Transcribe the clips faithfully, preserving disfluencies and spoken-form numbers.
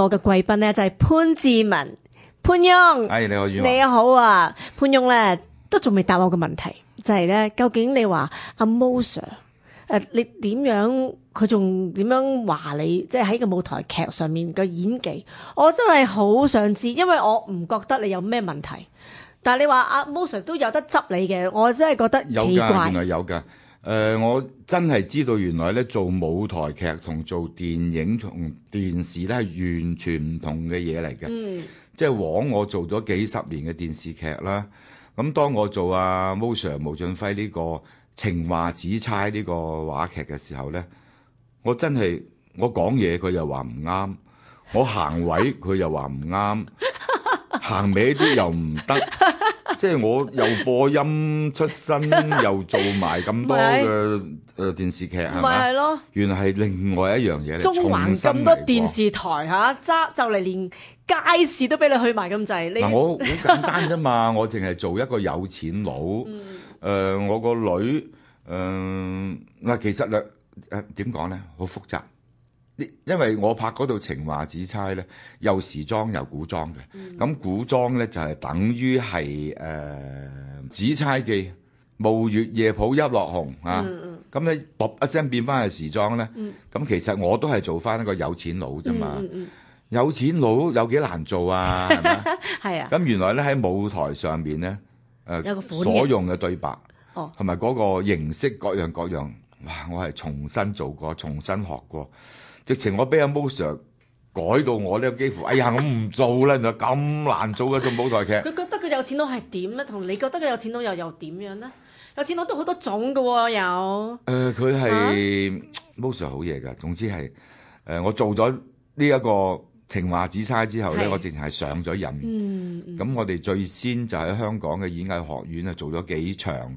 個嘅貴賓咧就係潘志文潘翁。哎，你好，宇你好啊，潘翁咧都仲未答我個問題，就係、是、咧究竟你話阿 Mo Sir 誒，你點樣佢仲點樣話你？即係喺個舞台劇上面嘅演技，我真係好想知，因為我唔覺得你有咩問題。但係你話阿 Mo Sir 都有得執你嘅，我真係覺得奇怪。有㗎，原來有㗎。誒、呃，我真係知道原來咧做舞台劇同做電影同電視咧係完全唔同嘅嘢嚟嘅。嗯，即係枉我做咗幾十年嘅電視劇啦。咁當我做阿 Mo Sir 毛俊輝呢個情話紫釵呢個話劇嘅時候咧，我真係我講嘢佢又話唔啱，我行位佢又話唔啱，行歪啲又唔得。即係我又播音出身，又做埋咁多嘅誒電視劇，係咪？係咯，原來係另外一樣嘢嚟。中環咁多電視台嚇，揸就嚟連街市都俾你去埋咁滯。嗱，我好簡單啫嘛，我淨係做一個有錢佬。誒、嗯呃，我個女誒嗱、呃，其實咧誒點講咧，好複雜。因為我拍嗰套情話紫釵咧，又時裝又古裝嘅，咁、嗯、古裝咧就係、是、等於係誒、呃、紫釵記暮月夜抱泣落紅啊，咁咧卜一聲變翻去時裝咧，咁、嗯、其實我都係做翻一個有錢佬啫嘛，嗯嗯、有錢佬有幾難做啊？係咪？係啊。咁原來咧喺舞台上面咧，誒、呃、所用嘅對白，同埋嗰個形式各樣各樣，哇！我係重新做過，重新學過。直情我俾阿 Mo Sir 改到我咧，幾乎哎呀我唔做啦，就咁難做嘅做舞台劇。佢覺得佢有錢佬係點咧？同你覺得佢有錢佬又又點樣咧？有錢佬都好多種㗎喎，有。誒，佢係 Mo Sir 好嘢㗎。總之係誒、呃，我做咗呢一個情話紫釵之後咧，我直情係上咗癮。嗯，咁、嗯、我哋最先就喺香港嘅演藝學院啊做咗幾場，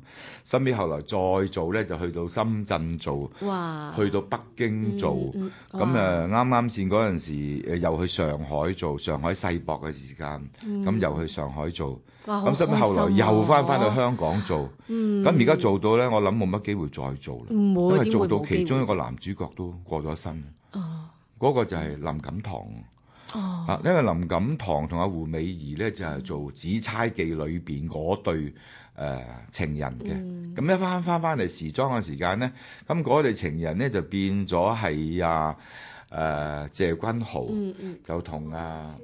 後尾後來再做咧就去到深圳做，哇去到北京做。咁誒啱啱先嗰陣時誒又去上海做，上海世博嘅時間，咁、嗯、又去上海做。咁後尾後來又翻翻去香港做。咁而家做到咧，我諗冇乜機會再做啦，因為做到其中一個男主角都過咗身。哦，嗰個就係林錦棠。哦，啊，因為林錦棠同阿胡美儀咧就係、是、做《紫釵記》裏邊嗰對誒、呃、情人嘅，咁、嗯、一翻翻翻嚟時裝嘅時間咧，咁嗰對情人咧就變咗係啊誒謝君豪，嗯嗯、就同啊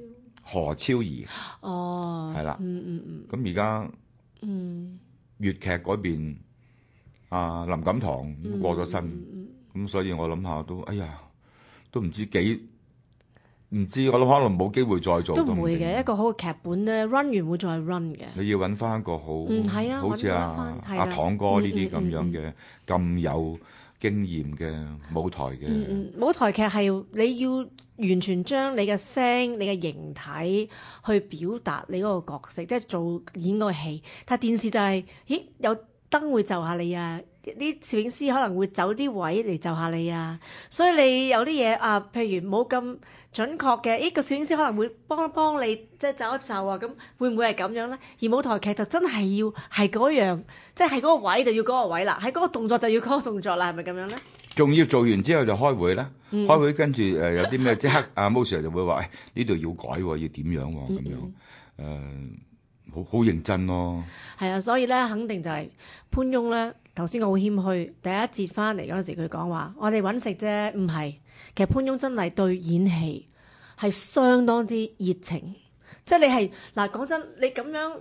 何超儀，哦，係啦，嗯嗯嗯，咁而家嗯粵劇嗰邊啊林錦棠都過咗身，咁、嗯嗯、所以我諗下都哎呀都唔知幾。唔知，我諗可能冇機會再做。都唔會嘅，一個好嘅劇本咧 run 完會再 run 嘅。你要揾翻一個好，嗯係啊，好似阿阿堂哥呢啲咁樣嘅咁、嗯嗯、有經驗嘅舞台嘅、嗯嗯。舞台劇係你要完全將你嘅聲、你嘅形體去表達你嗰個角色，即係做演個戲。但係電視就係、是，咦有燈會就下你啊！啲攝影師可能會走啲位嚟就下你啊，所以你有啲嘢啊，譬如冇咁準確嘅，呢個攝影師可能會幫一幫你，即係就一就啊，咁會唔會係咁樣咧？而舞台劇就真係要係嗰樣，即係喺嗰個位就要嗰個位啦，喺嗰個動作就要嗰個動作啦，係咪咁樣咧？仲要做完之後就開會啦、嗯，開會跟住誒、呃、有啲咩即刻阿 Mo Sir 就會話：呢、哎、度要改喎，要點樣喎、啊？咁樣誒。嗯呃好好認真咯，係啊，所以咧肯定就係潘翁咧。頭先我好謙虛，第一節翻嚟嗰陣時佢講話，我哋揾食啫，唔係。其實潘翁真係對演戲係相當之熱情，即係你係嗱講真，你咁樣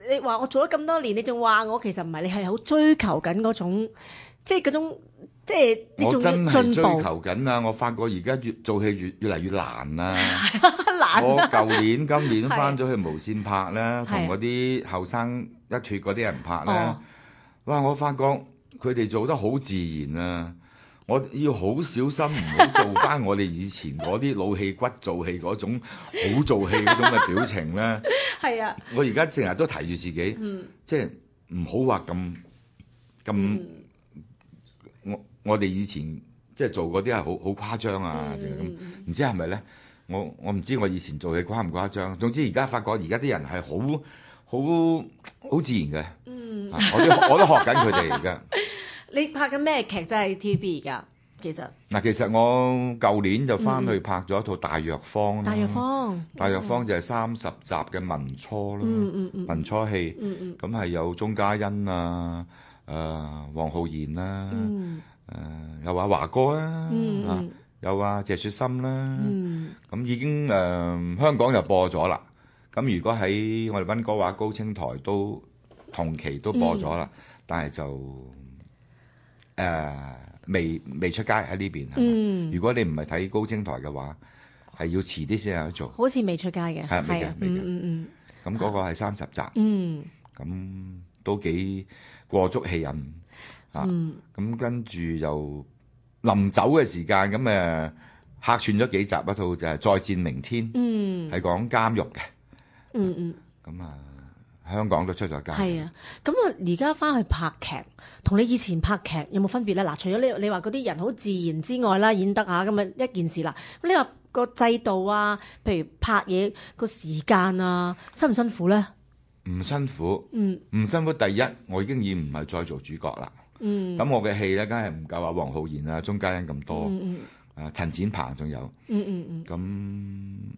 你話我做咗咁多年，你仲話我其實唔係，你係好追求緊嗰種，即係嗰種即係呢種進步。我真係追求緊啊！我發覺而家越做戲越越嚟越難啊！我舊年今年翻咗去無線拍咧，同嗰啲後生一脱嗰啲人拍咧、哦，哇！我發覺佢哋做得好自然啊！我要好小心，唔好做翻我哋以前嗰啲老戲骨做戲嗰種好做戲嗰種嘅表情咧。係啊！我而家成日都提住自己，嗯、即係唔好話咁咁。我我哋以前即係做嗰啲係好好誇張啊！咁、嗯、唔知係咪咧？我我唔知我以前做嘢誇唔誇張，總之而家發覺而家啲人係好好好自然嘅、嗯，我都我都學緊佢哋而家。你拍緊咩劇？真係 T V B 而家？其實嗱，其實我舊年就翻去拍咗一套大藥方啦。大藥方，大藥方就係三十集嘅民初啦，嗯嗯嗯民初戲，嗯嗯咁係有鐘嘉欣啊，誒黃浩然啦，嗯誒有話華哥啦，嗯啊有啊謝雪心啦，嗯咁已經誒香港就播咗啦。咁如果喺我哋溫哥華高清台都同期都播咗啦，但係就誒未未出街喺呢邊係嘛？嗯，如果你唔係睇高清台嘅話，係要遲啲先有得做。好似未出街嘅，係未嘅係啊，未嘅嗯嗯咁嗰個係三十集，嗯咁都幾過足戲癮啊！嗯咁跟住又臨走嘅時間，咁誒客串咗幾集，一套就係《再戰明天》，嗯係講監獄嘅。嗯嗯。咁啊，香港都出咗街。係啊，咁啊，而家翻去拍劇，同你以前拍劇有冇分別咧？嗱，除咗你你話嗰啲人好自然之外啦，演得啊咁啊一件事啦。咁你話個制度啊，譬如拍嘢個時間啊，辛唔辛苦咧？唔辛苦，嗯唔辛苦。第一，我已經已唔係再做主角啦。嗯咁我嘅戲咧，梗係唔夠啊黃浩然啊、鐘嘉欣咁多。嗯啊，陳展鵬仲有。嗯嗯嗯，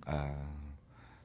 咁誒，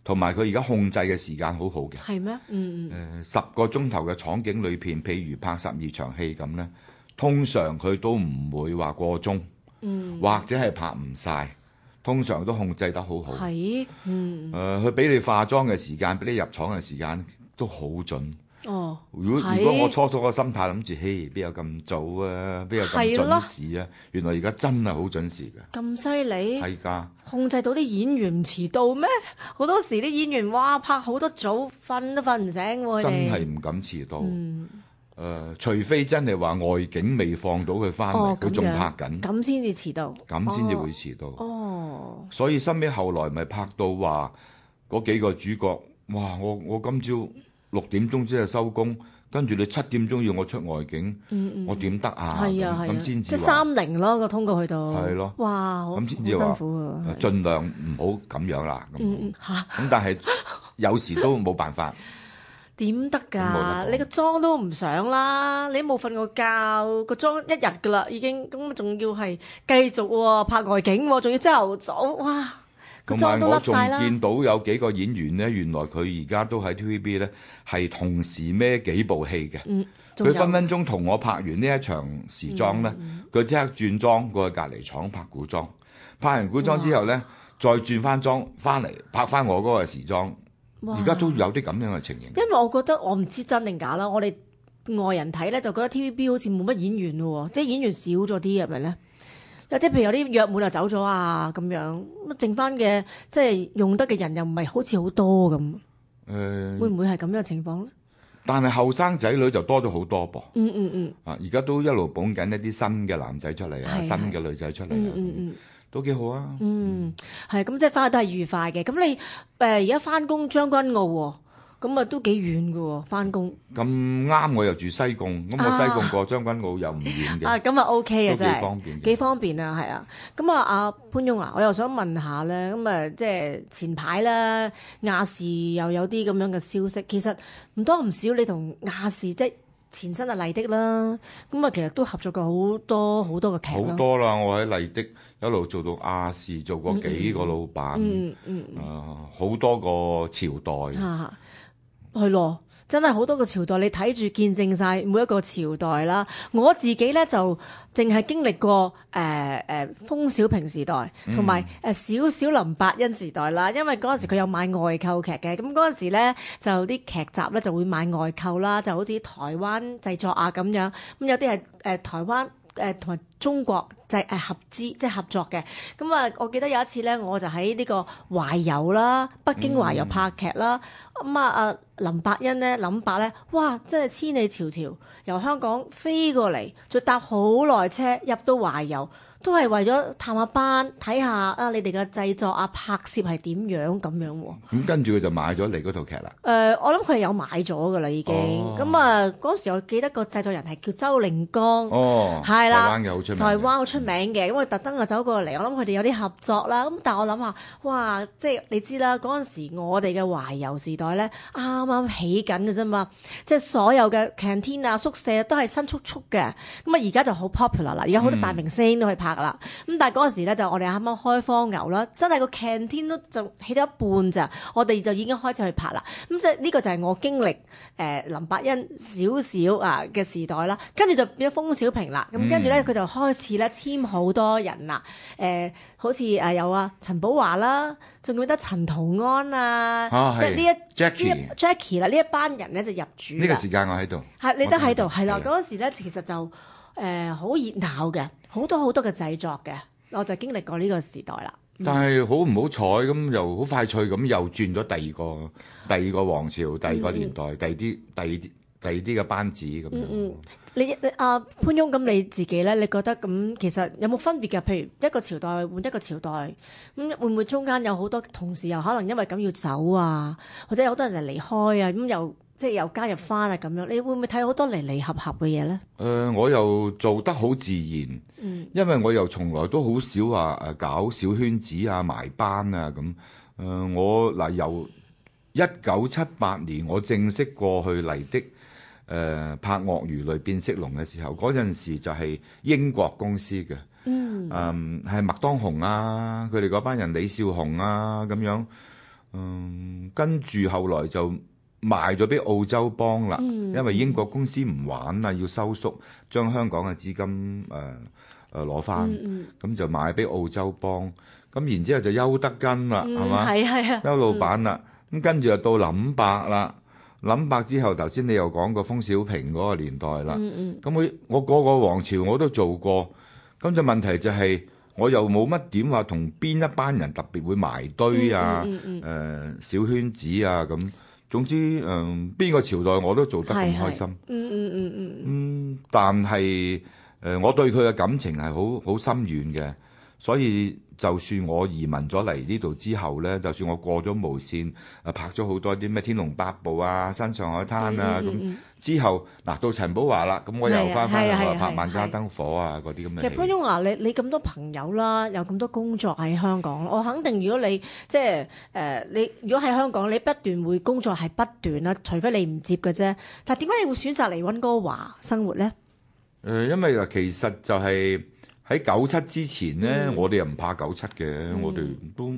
同埋佢而家控制嘅時間好好嘅。係咩？嗯嗯誒十個鐘頭嘅廠景裏邊，譬如拍十二場戲咁咧，通常佢都唔會話過鐘，嗯，或者係拍唔晒，通常都控制得好好。誒，係嗯佢俾你化妝嘅時間，俾你入廠嘅時間都好準。哦，如果係如果我初初個心態諗住，嘿，邊有咁早啊？邊有咁係咯準時啊？原來而家真係好準時嘅，咁犀利，係㗎。控制到啲演員唔遲到咩？好多時啲演員哇拍好多組，瞓都瞓唔醒喎，佢真哋係唔敢遲到。誒、嗯除非真係話外景未放到佢翻哦嚟，佢仲、咁樣拍緊，咁先至遲到，咁先至會遲到。哦，所以後尾後來咪拍到話嗰幾個主角，哇！我我今朝六點鐘先係收工，跟住你七點鐘要我出外景，嗯嗯，我點得啊？係啊係啊，咁先即係至話三零咯個通告去到，係咯哇，好咁先至話好辛苦啊，係盡量唔好咁樣啦。咁嗯嗯嚇咁但係有時都冇辦法。點得咁冇得㗎？講你個妝都唔上啦，你都冇瞓過覺，個妝一日㗎啦已經，咁仲要係繼續喎拍外景喎，仲要朝頭早，哇個妝都同埋我仲甩晒啦，見到有幾個演員咧，原來佢而家都喺 T V B 咧，係同時孭幾部戲嘅。嗯，仲有佢分分鐘同我拍完呢一場時裝咧，佢即刻轉裝過去隔離廠拍古裝，拍完古裝之後咧，再轉翻裝翻嚟拍翻我嗰個時裝。哇而家都有啲咁樣嘅情形。因為我覺得我唔知真定假啦，我哋外人睇咧就覺得 T V B 好似冇乜演員咯喎，即係演員少咗啲係咪咧？有啲譬如有啲約滿就走咗啊咁樣，咁剩翻嘅即係用得嘅人又唔係好似好多咁，誒、會唔會係咁樣嘅情況咧？但係後生仔女就多咗好多噃。嗯嗯嗯啊，而家都一路捧緊一啲新嘅男仔出嚟啊，係新嘅女仔出嚟嗯啊，嗯嗯都幾好啊。嗯，係咁即係翻去都係愉快嘅。咁你誒而家翻工將軍澳喎，咁啊都幾遠嘅喎，翻工咁啱我又住西貢，咁我西貢過將軍澳又唔遠嘅，啊咁啊 OK 嘅都真係幾方便嘅。幾方便啊，係啊。咁啊，阿潘翁啊，我又想問下咧，咁啊，即係前排咧亞視又有啲咁樣嘅消息，其實唔多唔少，你同亞視即係前身啊麗的啦，咁啊其實都合作過好多好多嘅劇啦。好多啦，我喺麗的一路做到亞視，做過幾個老闆，嗯嗯啊好多個朝代。嚇係咯。真係好多個朝代，你睇住見證晒每一個朝代啦。我自己咧就淨係經歷過誒誒封小平時代，同埋誒少少林百欣時代啦。因為嗰陣時佢有買外購劇嘅，咁嗰陣時咧就啲劇集咧就會買外購啦，就好似台灣製作啊咁樣。咁有啲係誒台灣誒同埋中國就係誒合資即係合作嘅。咁啊，我記得有一次咧，我就喺呢個懷柔啦，北京懷柔拍劇啦。咁啊啊林百欣咧，林伯咧，哇！真係千里迢迢由香港飛過嚟，再搭好耐車入到懷柔，都係為咗探下班，睇下啊你哋嘅製作啊拍攝係點樣咁樣喎。咁跟住佢就買咗你嗰套劇啦。誒、呃，我諗佢係有買咗噶啦，已經。哦咁啊，嗰時我記得個製作人係叫周令光，哦，係啦，台灣嘅好出名嘅。台灣好出名嘅，咁佢特登啊走過嚟，我諗佢哋有啲合作啦。咁但係我諗下，哇，即係你知啦，嗰陣時我哋嘅懷柔時代咧，啱啱起緊嘅啫嘛，即係所有嘅 canteen 啊宿舍都係新簇簇嘅。咁啊，而家就好 popular 啦，而家好多大明星都去拍啦。咁但係嗰陣時咧就我哋啱啱開荒牛啦，真係個 canteen 都就起到一半咋，我哋就已經開始去拍啦。咁即係呢個就係我經歷誒、呃、林伯恩少少啊嘅時代啦，跟住就變咗封小平啦。咁跟住咧佢就開始咧簽好多人啦，誒、呃、好似誒有啊陳寶華啦，仲記得陳圖安啊，啊即係呢一 Jackie Jackie 啦，呢一班人咧就入主啦。呢個時間我喺度，係你都喺度，係啦。係嗰陣時咧，其實就誒好熱鬧嘅，好多好多嘅製作嘅，我就經歷過呢個時代啦。但係好唔好彩咁，又好快脆咁又轉咗第二個第二個王朝，第二個年代，嗯、第二啲第二啲第二啲嘅班子咁樣。嗯嗯，你你阿潘翁咁你自己咧，你覺得咁其實有冇分別嘅？譬如一個朝代換一個朝代，咁會唔會中間有好多同事又可能因為咁要走啊，或者有好多人嚟離開啊，咁又？即係又加入翻啊咁樣，你會唔會睇好多離離合合嘅嘢咧？誒、呃，我又做得好自然，嗯，因為我又從來都好少話誒搞小圈子啊、埋班啊咁。誒、呃，我嗱、呃、由一九七八年我正式過去麗的誒、呃、拍鱷魚淚變色龍嘅時候，嗰陣時就係英國公司嘅，嗯，誒係麥當雄啊，佢哋嗰班人李少雄啊咁樣，嗯，跟住後來就賣咗俾澳洲幫啦，嗯、因為英國公司唔玩啦，要收縮，將香港嘅資金誒誒攞翻，咁、呃嗯嗯、就賣俾澳洲幫。咁然之後就邱德根啦，係嘛、嗯？係係啊，邱老闆啦。咁、嗯、跟住就到林伯啦，林伯之後頭先你又講過封小平嗰個年代啦。咁、嗯嗯、我我個個王朝我都做過，咁就問題就係、是、我又冇乜點話同邊一班人特別會埋堆啊，誒、嗯嗯嗯呃、小圈子啊咁。總之，誒、呃、邊個朝代我都做得咁開心。嗯嗯嗯嗯。嗯，但係誒、呃，我對佢嘅感情係好好深遠嘅，所以就算我移民咗嚟呢度之後咧，就算我過咗無線，誒拍咗好多啲咩《天龍八部》啊、《新上海灘》啊咁、嗯嗯、之後，嗱到陳寶華啦，咁我又翻翻嚟拍《萬家燈火》啊嗰啲咁嘅。其實潘翁啊，你你咁多朋友啦，有咁多工作喺香港，我肯定如果你即係誒、呃、你如果喺香港，你不斷會工作係不斷啦，除非你唔接嘅啫。但係點解你會選擇嚟溫哥華生活咧？誒、呃，因為其實就係、是。喺九七之前咧、嗯，我哋又唔怕九七嘅、嗯，我哋都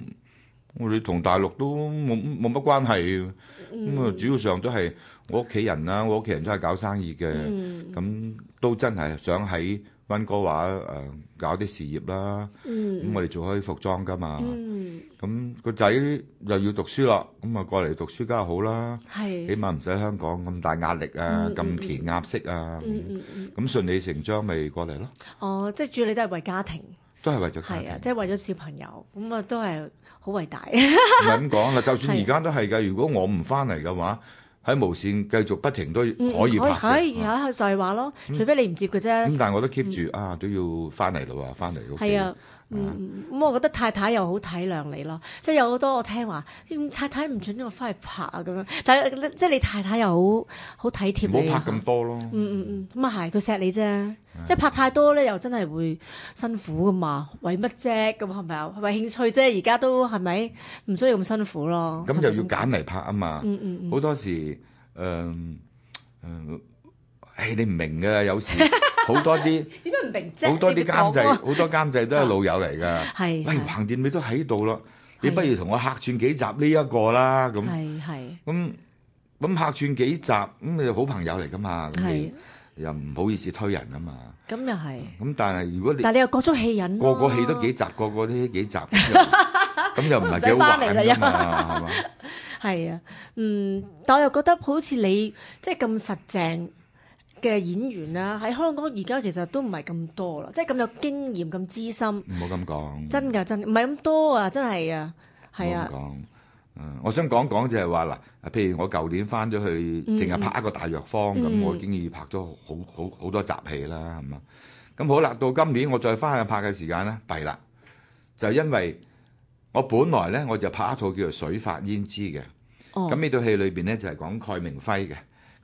我哋同大陸都冇冇乜關係，咁、嗯、啊主要上都係我屋企人啦，我屋企人都係搞生意嘅，咁、嗯、都真係想喺溫哥華誒、呃、搞啲事業啦，咁、嗯、我哋做開服裝噶嘛，咁、嗯、個仔又要讀書啦，咁啊過嚟讀書梗係好啦，起碼唔使香港咁大壓力啊，咁、嗯、填鴨式啊，咁、嗯嗯嗯嗯、順理成章咪過嚟咯。哦，即係主要你都係為家庭，都係為咗家庭，係啊，即係為咗小朋友，咁啊都係好偉大。唔係咁講啦，就算而家都係㗎，如果我唔翻嚟嘅話。喺無線繼續不停都可以拍嘅，係係就係話咯，除非你唔接嘅啫。咁、嗯、但係我都 keep 住、嗯、啊，都要翻嚟咯喎，翻嚟屋企。係啊，嗯咁、啊、我覺得太太又好體諒你咯，即係有好多我聽話，太太唔準我翻去拍啊咁樣，但係即係你太太又好好體貼你。唔好拍咁多咯。嗯嗯嗯，咁啊係，佢錫你啫，一拍太多咧又真係會辛苦噶嘛，為乜啫？咁係咪啊？為興趣啫，而家都係咪唔需要咁辛苦咯？咁又要揀嚟拍啊嘛，嗯嗯嗯，好多時。誒、嗯、誒，誒、哎、你唔明㗎，有時好多啲點解唔明啫？好多啲監製，好多監製都係老友嚟㗎。係，喂，橫掂你都喺度咯，你不如同我客串幾集呢一個啦。咁係係。咁咁客串幾集，咁你好朋友嚟㗎嘛？係。又唔好意思推人啊嘛。咁又係。咁但係如果你，但係你又各種戲癮，個個戲都幾集，個個都幾集，咁又唔係幾好玩㗎嘛？係嘛？係啊，嗯，但我又覺得好似你即係咁實淨嘅演員啦，喺香港而家其實都唔係咁多啦，即係咁有經驗、咁資深。唔好咁講，真㗎，真唔係咁多啊，真係啊，係啊。講，嗯，我想講講就係話嗱，譬如我舊年翻咗去，淨係拍一個大藥方，咁、嗯、我已經已拍咗好好好多集戲啦，係嘛？咁好啦，到今年我再翻去拍嘅時間咧，弊啦，就因為。我本來咧我就拍一套叫做《水發胭脂》嘅，咁呢套戲裏邊咧就係講蓋明輝嘅，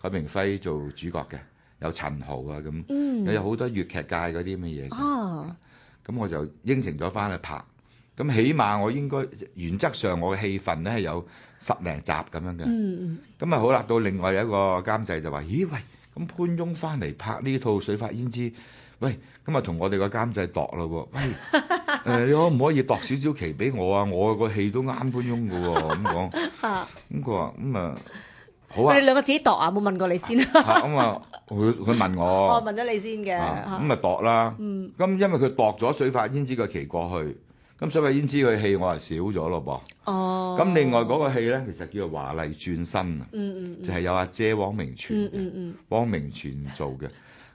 蓋明輝做主角嘅，有陳豪啊咁、嗯，有好多粵劇界嗰啲乜嘢，咁、哦、我就應承咗翻去拍，咁起碼我應該原則上我嘅戲份咧係有十零集咁樣嘅，咁、嗯、啊好啦，到另外有一個監製就話：咦喂，咁潘翁翻嚟拍呢套《水發胭脂》，喂，今日同我哋個監製度咯喎，喂，誒、你可唔可以度少少期俾我啊？我個戲都啱潘翁嘅喎，咁講，咁佢話咁啊，好啊佢哋，兩個自己度啊，冇問過你先。咁啊，佢佢問我，我問咗你先嘅。咁咪度啦，咁因為佢度咗水髮胭脂個期過去，咁水髮胭脂佢戲我係少咗咯噃。哦。咁另外嗰個戲咧，其實叫做華麗轉身啊，嗯嗯就係有阿姐汪明荃嘅，嗯嗯汪明荃做嘅。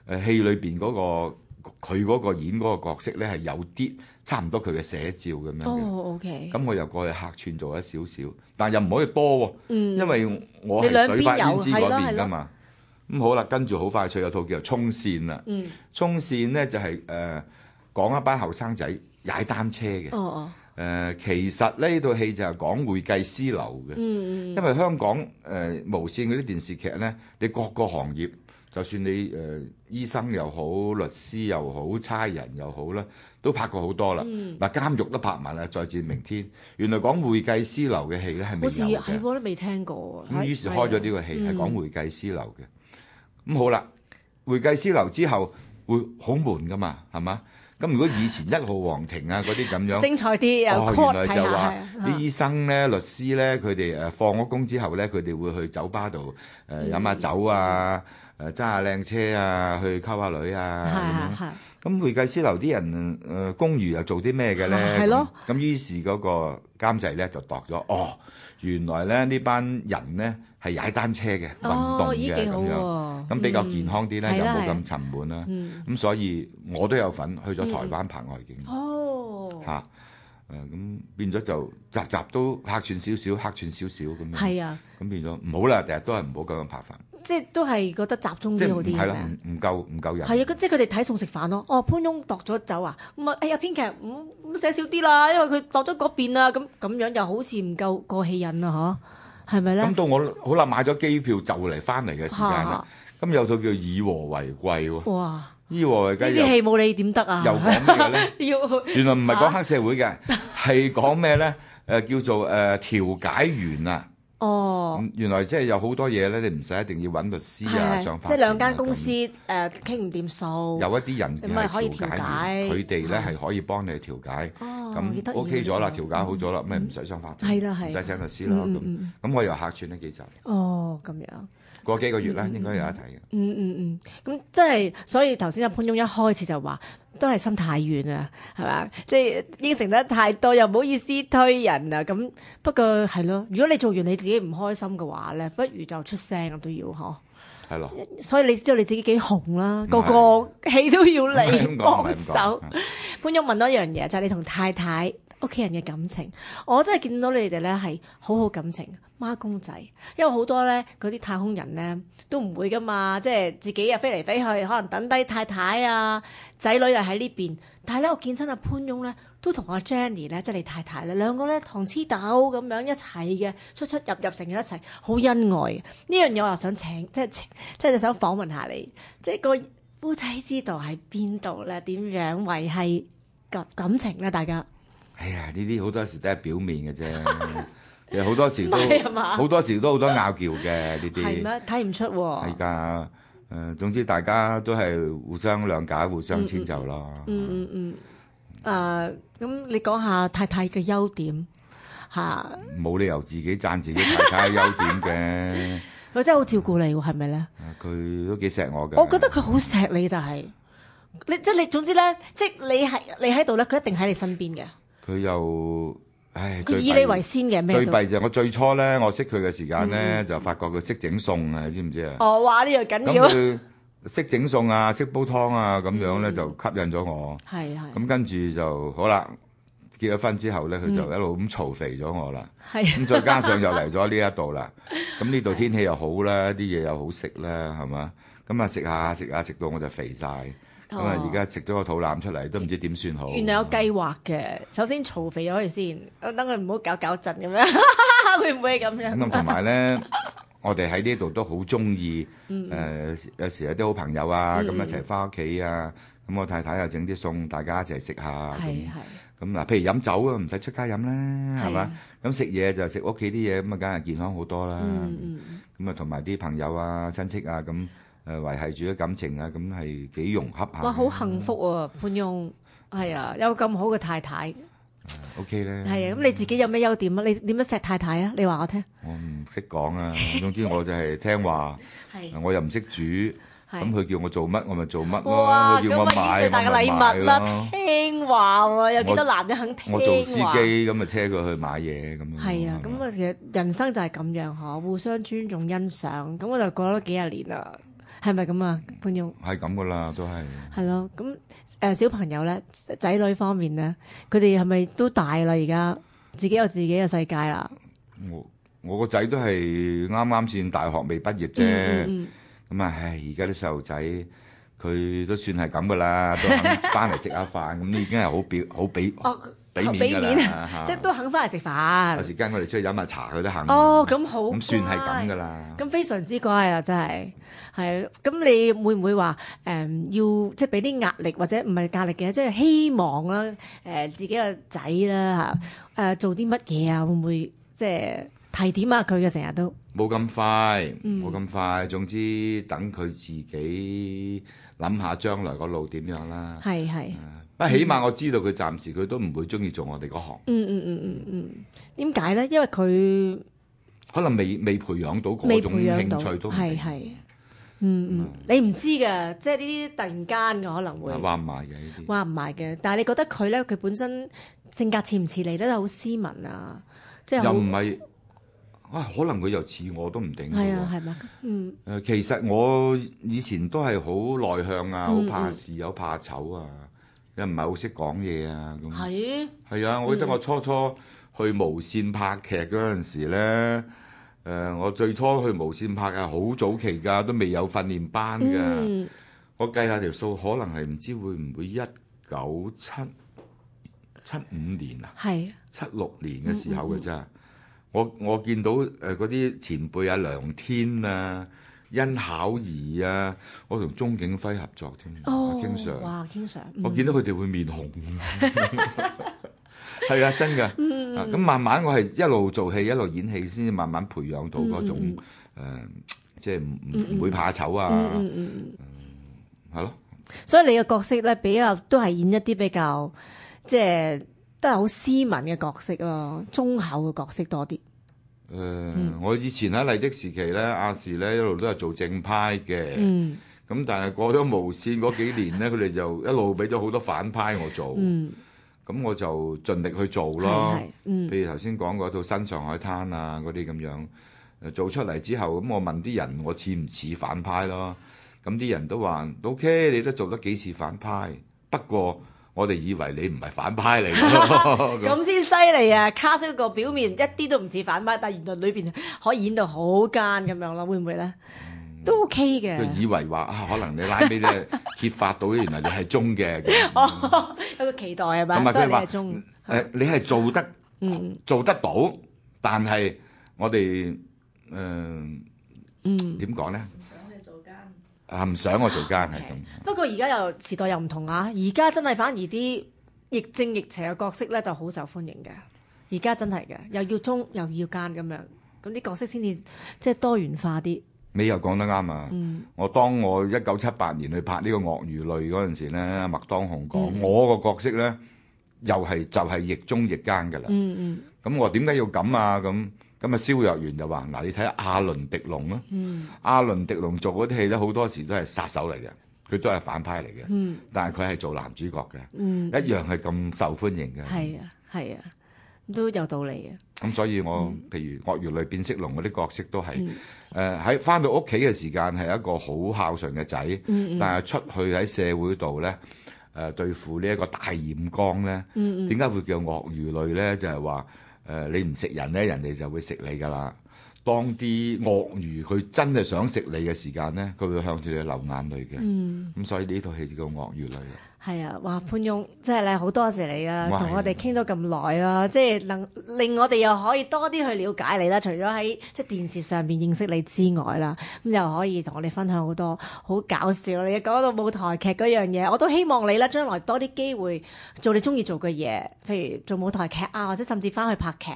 誒戲裏邊嗰個佢嗰個演嗰個角色咧係有啲差唔多佢嘅寫照咁樣嘅。哦，OK。咁我又過去客串做咗少少，但又唔可以多喎，嗯因為我係水髮胭脂嗰邊㗎嘛。咁好啦，跟住好快脆有套叫做《衝線》啦。嗯。衝線咧就係、是、誒、呃、講一班後生仔踩單車嘅。哦哦。誒、呃、其實呢套戲就係講會計師樓嘅。嗯嗯。因為香港誒、呃、無線嗰啲電視劇咧，你各個行業。就算你誒、呃、醫生又好，律師又好，差人又好啦，都拍過好多啦。嗱、嗯、監獄都拍埋啦，再戰明天。原來講會計師樓嘅戲咧係未有嘅，好似係我都未聽過。咁於是開咗呢個戲係講會計師樓嘅。咁、嗯、好啦，會計師樓之後會好悶噶嘛，係嘛？咁如果以前一號皇庭啊嗰啲咁樣，精彩啲又哦，原來就話啲啲醫生咧、律師咧，佢哋誒放咗工之後咧，佢哋會去酒吧度誒飲下酒啊。誒揸下靚車啊，去溝下女啊，咁樣。咁會計師樓啲人誒、呃、公餘又做啲咩嘅咧？係咯。咁於是嗰個監製咧就度咗，哦，原來咧呢班人咧係踩單車嘅、哦、運動嘅咁樣，咁、嗯、比較健康啲咧，嗯、又冇咁沉悶啦。咁、嗯、所以我都有份去咗台灣拍外景。嗯、哦。嚇、啊！誒、呃、咁變咗就集集都客串少少，客串少少咁樣。係啊。咁變咗唔好啦，第日都係唔好咁樣拍法。即係都係覺得集中啲好啲，係咪啊？唔唔夠唔夠人。係啊，即係佢哋睇餸食飯咯。哦，潘翁度咗走啊，咁啊，哎呀編劇唔唔寫少啲啦，因為佢度咗嗰邊啊，咁咁樣又好似唔夠過氣癮啊，嗬？係咪咧？咁到我好啦，買咗機票就嚟翻嚟嘅時間啦。咁有套叫《以和為貴》喎。哇！以和為貴呢啲戲冇你點得啊？又講咩嘅咧？要原來唔係講黑社會嘅，係講咩咧？誒叫做誒調解員啊。哦，原來即係有好多嘢咧，你唔使一定要揾律師啊，上法庭啊，即係兩間公司誒傾唔掂數，有一啲人係可以調解，佢哋咧係可以幫你調解。咁 OK 咗啦，調解好咗啦，咪唔使上法庭，係啦係，唔使請律師啦。咁咁我又客串呢幾集。哦，咁樣。過幾個月啦，應該有得睇嘅。嗯嗯嗯，咁即係，所以頭先阿潘翁一開始就話，都係心太軟啊，係嘛？即係應承得太多，又唔好意思推人啊。咁不過係咯，如果你做完你自己唔開心嘅話咧，不如就出聲都要嗬。係咯。所以你知道你自己幾紅啦，個個戲都要你幫手。潘翁問多一樣嘢，就係你同太太屋企人嘅感情，我真係見到你哋咧係好好感情。孖公仔，因為好多咧嗰啲太空人咧都唔會噶嘛，即係自己啊飛嚟飛去，可能等低太太啊仔女又喺呢邊。但係咧，我見親阿潘翁咧都同阿 Jenny 咧，即係你太太咧，兩個咧糖黐豆咁樣一齊嘅，出出入入成日一齊，好恩愛嘅。呢樣嘢我又想請，即係即係想訪問下你，即係個夫妻之道喺邊度咧？點樣維繫感感情咧？大家，哎呀，呢啲好多時都係表面嘅啫。其實好多時都好多時都好多拗撬嘅呢啲，係咩？睇唔出喎。係㗎，誒，總之大家都係互相諒解、互相遷就咯。嗯嗯嗯。誒，咁你講下太太嘅優點嚇？冇理由自己讚自己太太嘅優點嘅。佢真係好照顧你喎，係咪咧？佢都幾錫我嘅。我覺得佢好錫你就係，你即係你總之咧，即係你係你喺度咧，佢一定喺你身邊嘅。佢又。唉，佢以你為先嘅咩？最弊就係我最初咧，我識佢嘅時間咧，就發覺佢識整餸啊，你知唔知啊？哦，話呢樣緊要。咁佢識整餸啊，識煲湯啊，咁樣咧就吸引咗我。係係。咁跟住就好啦，結咗婚之後咧，佢就一路咁嘈肥咗我啦。係。咁再加上又嚟咗呢一度啦，咁呢度天氣又好啦，啲嘢又好食啦，係嘛？咁啊食下食下食到我就肥晒。咁啊！而家食咗個肚腩出嚟，都唔知點算好。原來有計劃嘅，首先嘈肥咗佢先，等佢唔好搞搞震咁樣，會唔會咁樣？咁同埋咧，我哋喺呢度都好中意，誒有時有啲好朋友啊，咁一齊翻屋企啊，咁我太太又整啲餸，大家一齊食下。係係。咁嗱，譬如飲酒啊，唔使出街飲啦，係嘛？咁食嘢就食屋企啲嘢，咁啊，梗係健康好多啦。嗯嗯。咁啊，同埋啲朋友啊、親戚啊咁。誒維係住啲感情啊，咁係幾融洽下。哇，好幸福啊，潘翁，係啊，有咁好嘅太太。O K 咧。係啊，咁你自己有咩優點啊？你點樣錫太太啊？你話我聽。我唔識講啊，總之我就係聽話，我又唔識煮，咁佢叫我做乜我咪做乜咯，佢叫我買最大嘅禮物啦，咯。聽話喎，有幾多男人肯聽話？我做司機咁咪車佢去買嘢咁樣。係啊，咁啊其實人生就係咁樣嗬，互相尊重欣賞，咁我就過咗幾廿年啦，係咪咁啊，潘翁？係咁噶啦，都係。係咯，咁誒小朋友咧，仔女方面咧，佢哋係咪都大啦？而家自己有自己嘅世界啦。我我個仔都係啱啱先大學未畢業啫，咁、嗯嗯、啊，唉，而家啲細路仔佢都算係咁噶啦，都肯翻嚟食下飯，咁已經係好表好俾俾面噶啦，即係都肯翻嚟食飯。有時間我哋出去飲下茶，佢都肯。哦，咁好，咁算係咁噶啦。咁非常之乖啊，真係係。咁你會唔會話誒、嗯、要即係俾啲壓力或者唔係壓力嘅，即係希望啦誒、呃、自己個仔啦嚇誒做啲乜嘢啊？會唔會即係提點下佢嘅？成日都冇咁快，冇咁、嗯、快。總之等佢自己諗下將來個路點樣啦。係係。不過起碼我知道佢暫時佢都唔會中意做我哋嗰行。嗯嗯嗯嗯嗯。點解咧？因為佢可能未未培養到嗰種興趣都係係。嗯嗯，你唔知嘅，即係呢啲突然間嘅可能會話唔埋嘅呢啲，話唔埋嘅。但係你覺得佢咧，佢本身性格似唔似你咧？好斯文啊，即係又唔係啊？可能佢又似我都唔定。係啊，係咪？嗯。誒，其實我以前都係好內向啊，好怕事，好怕醜啊，又唔係好識講嘢啊。咁係係啊！我記得我初初去無線拍劇嗰陣時咧。誒、呃，我最初去無線拍係好早期㗎，都未有訓練班㗎。嗯、我計下條數，可能係唔知會唔會一九七七五年啊，係七六年嘅時候嘅啫。我我見到誒嗰啲前輩啊，梁天啊、殷巧兒啊，我同鐘景輝合作添。哦，經常哇，經常。我見到佢哋會面紅。係啊，真㗎。咁、嗯啊、慢慢我係一路做戲，一路演戲，先至慢慢培養到嗰種誒、嗯呃，即係唔唔會怕醜啊。嗯嗯嗯嗯，係咯。所以你嘅角色咧，比較都係演一啲比較即係都係好斯文嘅角色咯，忠厚嘅角色多啲。誒、呃，嗯、我以前喺麗的時期咧，亞視咧一路都係做正派嘅。嗯。咁但係過咗無線嗰幾年咧，佢哋就一路俾咗好多反派我做。嗯。咁我就盡力去做咯，嗯、譬如頭先講嗰套《新上海灘》啊，嗰啲咁樣，誒做出嚟之後，咁我問啲人我似唔似反派咯？咁啲人都話 OK， 你都做得幾似反派，不過我哋以為你唔係反派嚟嘅，咁先犀利啊！卡式個表面一啲都唔似反派，但係原來裏邊可以演到好奸咁樣咯，會唔會咧？都 OK 嘅，佢以為話啊，可能你拉尾咧揭發到原來你係忠嘅，哦，有個期待係咪？都係你係忠。誒，你係做得，嗯，做得到，但係我哋誒，嗯，點講咧？唔想你做奸啊！唔想我做奸係咁。不過而家又時代又唔同啊！而家真係反而啲亦正亦邪嘅角色咧就好受歡迎嘅。而家真係嘅，又要忠又要奸咁樣，咁啲角色先至即係多元化啲。你又講得啱啊！嗯、我當我一九七八年去拍呢個鱷魚淚嗰陣時咧，麥當雄講、嗯、我個角色咧，又係就係亦忠亦奸㗎啦。咁、嗯嗯、我點解要咁啊？咁咁啊，蕭若元就話：嗱，你睇下阿倫狄龍啦，嗯、阿倫狄龍做嗰啲戲咧，好多時都係殺手嚟嘅，佢都係反派嚟嘅。嗯、但係佢係做男主角嘅，嗯、一樣係咁受歡迎嘅。係啊，係啊。都有道理嘅。咁所以我、嗯、譬如鱷魚淚變色龍嗰啲角色都係誒喺返到屋企嘅時間係一個好孝順嘅仔，嗯嗯、但係出去喺社會度咧誒對付呢一個大染缸咧，點解、嗯嗯、會叫鱷魚淚咧？就係話誒你唔食人咧，人哋就會食你㗎啦。當啲鱷魚佢真係想食你嘅時間咧，佢會向住你流眼淚嘅。咁、嗯、所以呢套戲就叫鱷魚淚啦。係啊，哇潘翁，即係咧好多謝你啊，同我哋傾咗咁耐啦，即係能令我哋又可以多啲去了解你啦。除咗喺即係電視上邊認識你之外啦，咁又可以同我哋分享好多好搞笑。你講到舞台劇嗰樣嘢，我都希望你咧將來多啲機會做你中意做嘅嘢，譬如做舞台劇啊，或者甚至翻去拍劇。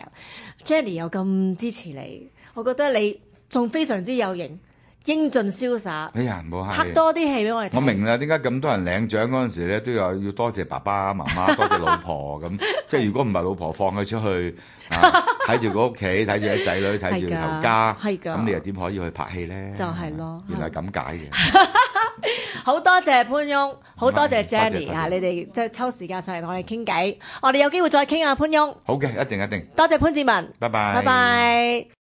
Jenny 又咁支持你，我覺得你仲非常之有型。英俊瀟灑，哎呀，唔好客氣。拍多啲戲俾我哋睇。我明啦，點解咁多人領獎嗰陣時咧，都有要多謝爸爸媽媽，多謝老婆咁。即係如果唔係老婆放佢出去，睇住個屋企，睇住啲仔女，睇住頭家，係㗎，咁你又點可以去拍戲咧？就係咯，原來咁解嘅。好多謝潘翁，好多謝多謝 Jenny 啊！你哋即係抽時間上嚟同我哋傾偈，我哋有機會再傾啊，潘翁。好嘅，一定一定。多謝潘志文，拜拜。拜拜。